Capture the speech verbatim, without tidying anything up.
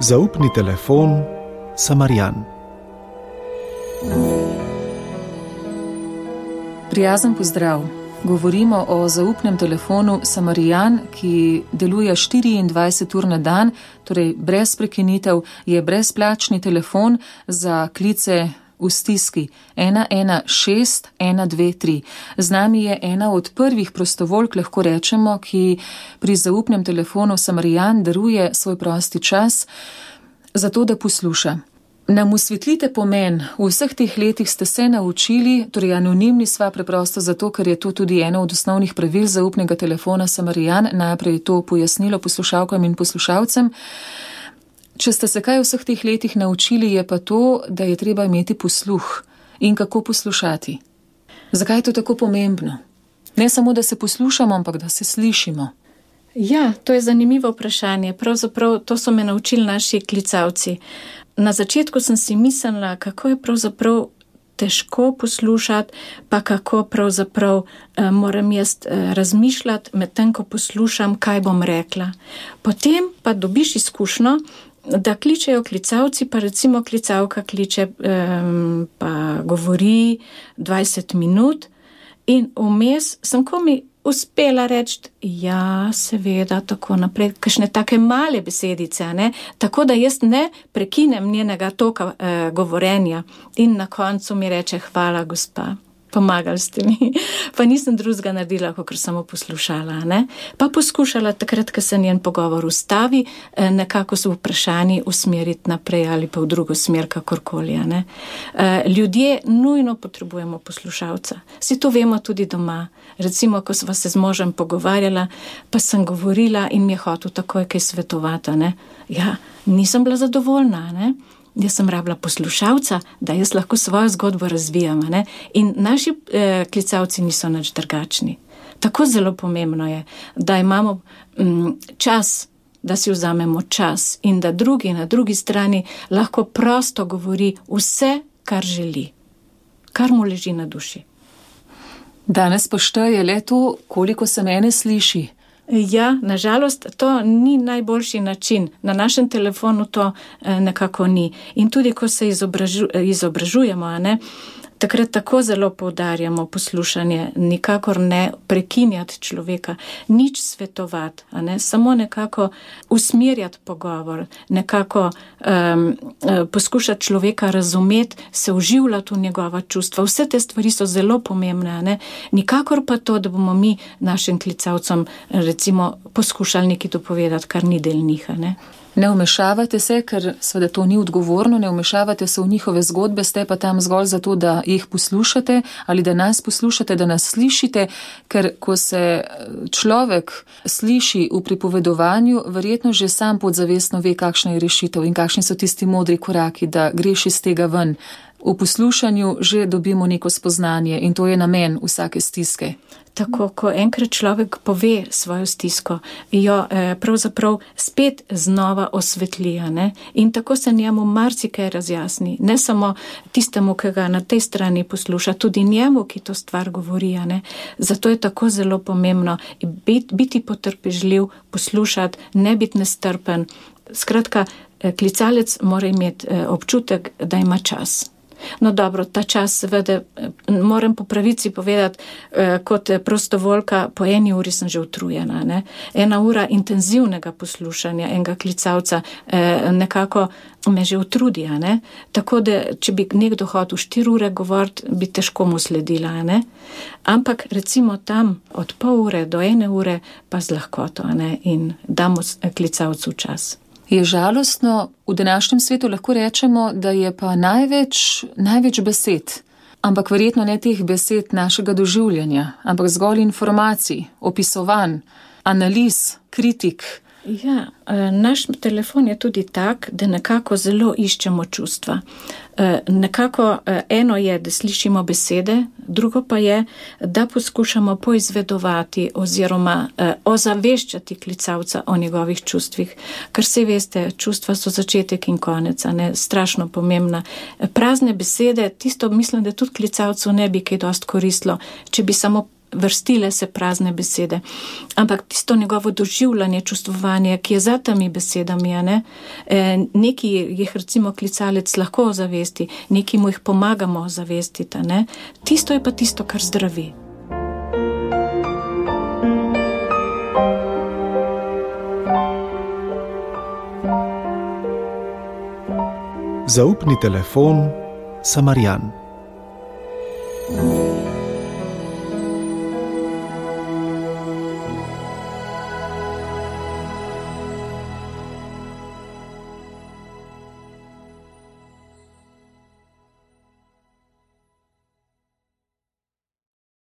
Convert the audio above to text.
Zaupni telefon Samarijan. Prijazen pozdrav. Govorimo o zaupnem telefonu Samarijan, ki deluje štiriindvajset ur na dan, torej brez prekinitev, je brezplačni telefon za klice v stiski ena ena šest ena dve tri. Z nami je ena od prvih prostovoljk, lahko rečemo, ki pri zaupnem telefonu Samarijan daruje svoj prosti čas, zato da posluša. Nam osvetlite pomen, v vseh teh letih ste se naučili, torej anonimni sva preprosto zato, ker je to tudi eno od osnovnih pravil zaupnega telefona Samarijan, najprej je to pojasnilo poslušalkam in poslušalcem. Če ste se kaj v vseh teh letih naučili, je pa to, da je treba imeti posluh in kako poslušati. Zakaj je to tako pomembno? Ne samo, da se poslušamo, ampak da se slišimo. Ja, to je zanimivo vprašanje. Pravzaprav to so me naučili naši klicavci. Na začetku sem si mislila, kako je pravzaprav težko poslušati, pa kako pravzaprav eh, moram jaz eh, razmišljati med tem, ko poslušam, kaj bom rekla. Potem pa dobiš izkušnjo, da kličejo klicavci, pa recimo klicavka kliče, eh, pa govori dvajset minut in vmes sem komi uspela reči, ja, seveda, tako naprej, kakšne take male besedice, ne? Tako da jaz ne prekinem njenega toka eh, govorenja in na koncu mi reče, hvala, gospa, pomagali ste mi. Pa nisem drugega naredila, kakor samo poslušala, ne? Pa poskušala takrat, ko se njen pogovor ustavi, eh, nekako se vprašanji usmeriti naprej ali pa v drugo smer, kakorkoli, ne? Eh, ljudje nujno potrebujemo poslušalca. Vsi to vemo tudi doma. Recimo, ko sva se z možem pogovarjala, pa sem govorila in mi je hotel takoj kaj svetovati, ne? Ja, nisem bila zadovoljna, ne? Jaz sem rabila poslušalca, da jaz lahko svojo zgodbo razvijam, ne? In naši eh, klicavci niso nič drugačni. Tako zelo pomembno je, da imamo mm, čas, da si vzamemo čas in da drugi na drugi strani lahko prosto govori vse, kar želi, kar mu leži na duši. Danes pa šteje le to, koliko se mene sliši. Ja, nažalost, to ni najboljši način. Na našem telefonu to eh, nekako ni. In tudi, ko se izobražu, izobražujemo, a ne, takrat tako zelo poudarjamo poslušanje, nikakor ne prekinjati človeka, nič svetovati, a ne, samo nekako usmerjati pogovor, nekako um, poskušati človeka razumeti, se vživljati v njegova čustva. Vse te stvari so zelo pomembne, a ne, nikakor pa to, da bomo mi našim klicavcem recimo poskušali nekaj dopovedati, kar ni del njih, a ne. Ne vmešavate se, ker seveda to ni odgovorno, ne vmešavate se v njihove zgodbe, ste pa tam zgolj zato, da jih poslušate ali da nas poslušate, da nas slišite, ker ko se človek sliši v pripovedovanju, verjetno že sam podzavestno ve, kakšna je rešitev in kakšni so tisti modri koraki, da greš iz tega ven. V poslušanju že dobimo neko spoznanje in to je namen vsake stiske. Tako, ko enkrat človek pove svojo stisko, jo eh, pravzaprav spet znova osvetli, ne? In tako se njemu marsikaj razjasni. Ne samo tistemu, ki ga na tej strani posluša, tudi njemu, ki to stvar govori, ne? Zato je tako zelo pomembno biti, biti potrpežljiv, poslušati, ne biti nestrpen. Skratka, klicalec mora imeti občutek, da ima čas. No dobro, ta čas seveda, moram po pravici povedati, kot prostovoljka, po eni uri sem že utrujena, ne? Ena ura intenzivnega poslušanja enega klicavca nekako me že utrudi, ne? Tako da, če bi nekdo hotel štiri ure govoriti, bi težko mu sledila, ne? Ampak recimo tam od pol ure do ene ure pa z lahkoto, ne? In damo klicavcu čas. Je žalostno, v današnjem svetu lahko rečemo, da je pa največ, največ besed, ampak verjetno ne teh besed našega doživljanja, ampak zgolj informacij, opisovanj, analiz, kritik. Ja, naš telefon je tudi tak, da nekako zelo iščemo čustva. Nekako eno je, da slišimo besede, drugo pa je, da poskušamo poizvedovati oziroma ozaveščati klicavca o njegovih čustvih. Ker se veste, čustva so začetek in konec, a ne, strašno pomembna. Prazne besede, tisto mislim, da tudi klicavcu ne bi kaj dost koristilo, če bi samo vrstile se prazne besede. Ampak tisto njegovo doživljanje, čustvovanje, ki je za temi besedami, ne? E, neki jih recimo klicalec lahko zavesti, neki mu jih pomagamo zavestiti, ne? Tisto je pa tisto, kar zdravi. Zaupni telefon Samarijan.